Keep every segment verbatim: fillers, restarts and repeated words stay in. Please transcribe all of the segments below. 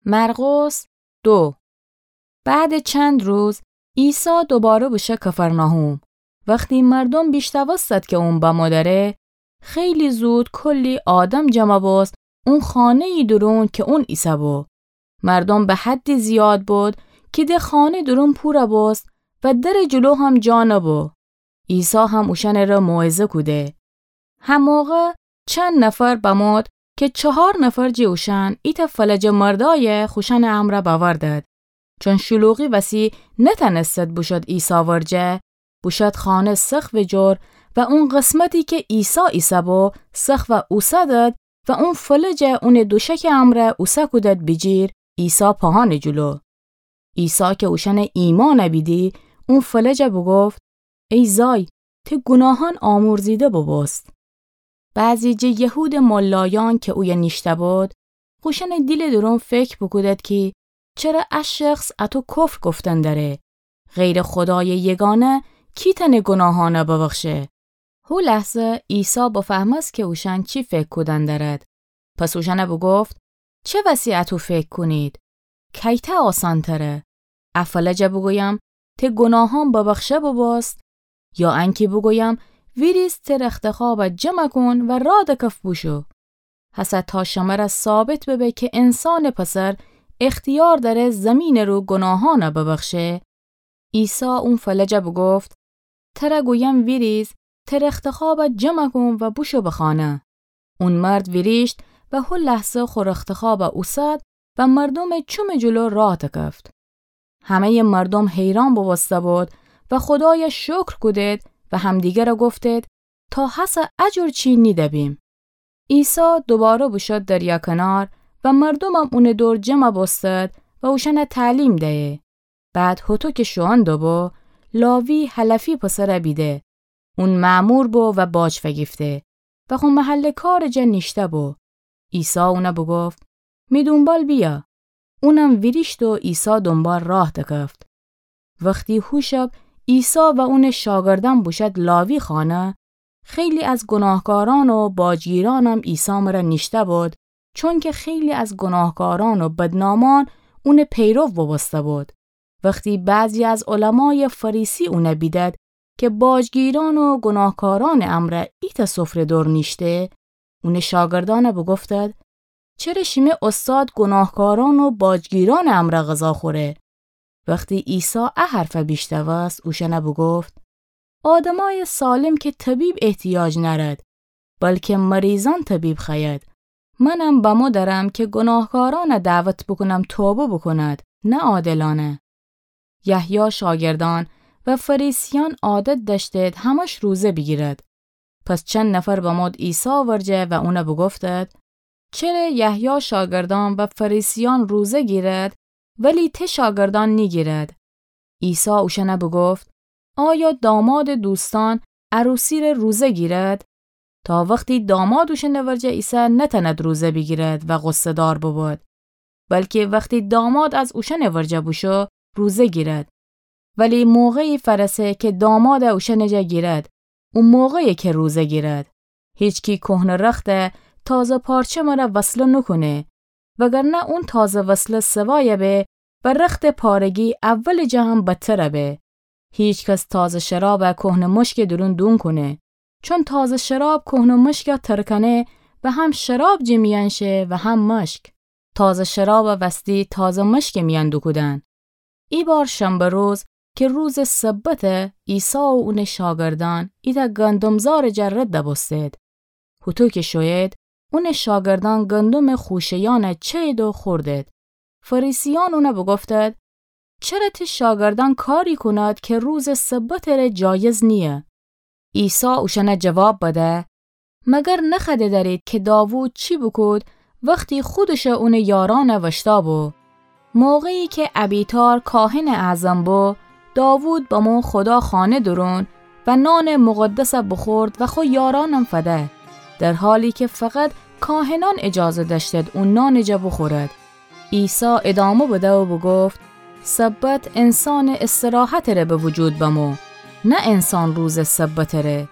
مرقس دو. بعدٚ چند روز، عیسی دوباره بوشو کفرناحوم. وختی مردوم بیشنوستد کی اون بمو دره، خیلی زود کلی آدم جمع بوست اون خانه‌یٚ دورون کی اون ایسه‌بو. مردوم به حدی زیاد بود کی ده خانه دورون پور بوست و درٚ جلو هم جا نبو. عیسی هم اوشأنٚره موعظه کوده. هموقع چند نفر بمود کی چهار نفر جٚه اوشأن ایتأ فلجٚ مردأیَ خوشأنٚ امرأ بأوردد. چون شلوغی وسی نتأنستد بوشود عیسی ورجه، بوشود خانه سقفٚ جور و اون قسمتی کی عیسی ایسه‌بو سقفَ اوسدد و اون فلجَ اونٚ دوشکٚ امرأ اوسه کودد بیجیر عیسی پاهانٚ جلو. عیسی کی اوشأنٚ ایمأنَ بیدی، اون فلجَ بوگفت: ای زای، تی گوناهأن آمرزیده بوبوست. بعضی جٚه یهودٚ ملایأن کی اویه نیشته‌بود، خوشأنٚ دیلٚ دورون فکر بوکودد کی چره ا شخص اطو کفر گفتن دأره؟ غیرٚ خودایٚ یگانه کی تأنه گوناهأنَ ببخشه؟ هو لحظه عیسی بفهمست کی اوشأن چی فکر کودن دأرد. پس اوشأنَ بوگفت: چه وسی اطو فکر کونید؟ کیتأ آسان‌تره؟ ا فلجَ بوگویم: تی گوناهأن ببخشه بوبوست؟ یا انکی بوگویم: ویریز، تی رختخوابَ جمع کون و راه دکف بوشو؟ هسه تا شمره ثابت ببه کی انسانٚ پسر اختیار دأره زیمینٚ رو گوناهأنَ ببخشه. عیسی اون فلجَ بوگفت: تره گویم ویریز، تی رختخوابَ جمع کون و بوشو به خانه. اون مرد ویریشت و هو لحظه خو رختخوابَ اوسد و مردومٚ چومٚ جلو راه دکفت. همه‌یٚ مردوم حیران بوبوسته‌بود و خودایَ شکر کودید و همدیگرَ گفتید: تا هسه ا جور چی نیده بیم. عیسی دوباره بوشو دریا کنار و مردومم اونٚ دور جمع بوستد و اوشأنَ تعلیم دیه. بعد هوطو کی شوئون دوبو، لاوی حلفی پسرَ بیده. اون مأمور بو و باج فیگیفته و خو محلٚ کارٚ جا نیشته‌بو. عیسی اونَ بوگفت: می دونبال بیأ. اونم ویریشت و عیسی دونبال راه دکفت. وختی هو شب عیسی و اونٚ شاگردأن بوشد لاوی خانه، خیلی از گوناهکارأن و باجگیرأنم عیسی مره نیشته‌بود، چونکی خیلی از گوناهکارأن و بدنامأن اونٚ پیرو بوبوسته‌بود. وختی بعضی از علمایٚ فریسی اونَ بیدد کی باجگیرأن و گوناهکارأنٚ امرأ ایتأ سفره دور نیشته، اونٚ شاگردأنَ بوگفتد: چره شیمه اوستاد گوناهکارأن و باجگیرأنٚ امرأ غذا خوره؟ وختی عیسی ا حرفَ بیشنوست، اوشأنَ بوگفت: آدمأیٚ سالم کی طبیب احتیاج نأرد، بلکی مریضأن طبیب خوأید. منم بمو درم کی گوناهکارأنَ دعوت بوکونم توبه بوکوند، نه عادلأنَ. یحیی شاگردأن و فریسیأن عادت دأشتید همش روزه بیگیرد. پس چند نفر بمود عیسی ورجه و اونَ بوگفتد: چره یحیی شاگردأن و فریسیأن روزه گیرد، ولی تی شاگردأن نیگیرد؟ عیسی اوشأنَ بوگفت: آیا دامادٚ دوستأن عروسی‌ره روزه گیرد؟ تا وختی داماد اوشأنٚ ورجه ایسه نتأند روزه بیگیرد و غصه‌دار ببود، بلکی وختی داماد از اوشأنٚ ورجه بوشو، روزه گیرد. ولی موقعی فأرسه کی داماد اوشأنٚ جا گیرد، او موقعیه کی روزه گیرد. هیچکی کهنه رخت تازه پارچه مره وصله نوکونه، وگرنه اون تازه وصله سوایَ به و رختٚ پارگی اولٚ جا هم بدترَ به. هیچ کس تازه شرابَ کهنه مشکٚ دورون دونکونه، چون تازه شراب کهنه مشکَ ترکنه و هم شراب جٚه میأن شه و هم مشک. تازه شرابَ وستی تازه مشکٚ میأن دوکودن. ایبار شنبه روز کی روزٚ سبته، عیسی و اونٚ شاگردأن ایتأ گندمزارٚ جا رد بوستید. هوطو کی شویید، اونٚ شاگردأن گندمٚ خوشه‌یأنَ چأیید و خوردید. فریسیأن اونَ بوگفتید: چره تی شاگردأن کاری کونید کی روزٚ سبتٚ ره جایز نییه؟ عیسی اوشأنَ جواب بده: مگر نخوأده دأرید کی داوود چی بوکود وختی خودش و اونٚ یارأنَ وشتأ بو؟ موقعی کی ابیاتار کاهنٚ اعظم بو، داوود بمو خودا خانه دورون و نانٚ مقدسَ بوخورد و خو یارأنم فده، در حالی کی فقط کاهنأن اجازه دأشتید او نانٚ جا بوخورد. عیسی ادامه بده و بوگفت: سبت انسانٚ استراحتٚ ره به وجود بمو، نه انسان روزٚ سبتٚ ره.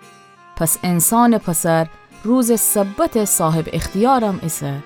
پس انسانٚ پسر روزٚ سبتٚ صاحب اختیارم ایسه.